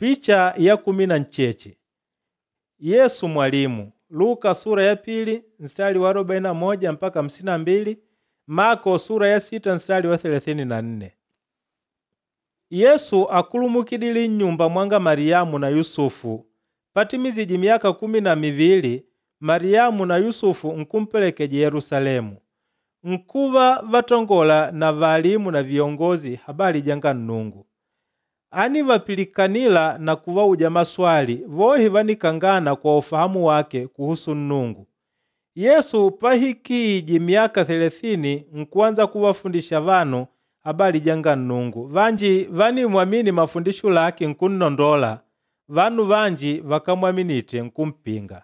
Picha ya 18. Yesu mwalimu. Luka sura ya 2 nsali wa 41 mpaka 52, Mako sura ya 6 nsali wa 34. Yesu akulumukidile nnyumba mwanga Mariamu na Yusufu. Patimizije myaka 12, Mariamu na Yusufu nkumpelekeja Yerusalemu. Nkuva vatongola na valimu na viongozi habali janga Nnungu. Ánivapilikanila na kuvauja maswali, vohe vánikangana kwa ufahamu wake kuhusu Nnungu. Yesu pahikije myaka 30 nkuanza kuvafundisha vanu habali janga Nnungu. Vanji vánimwamini mafundisho lake nkunnondola, vanu vanji vakámwaminite nkumpinga.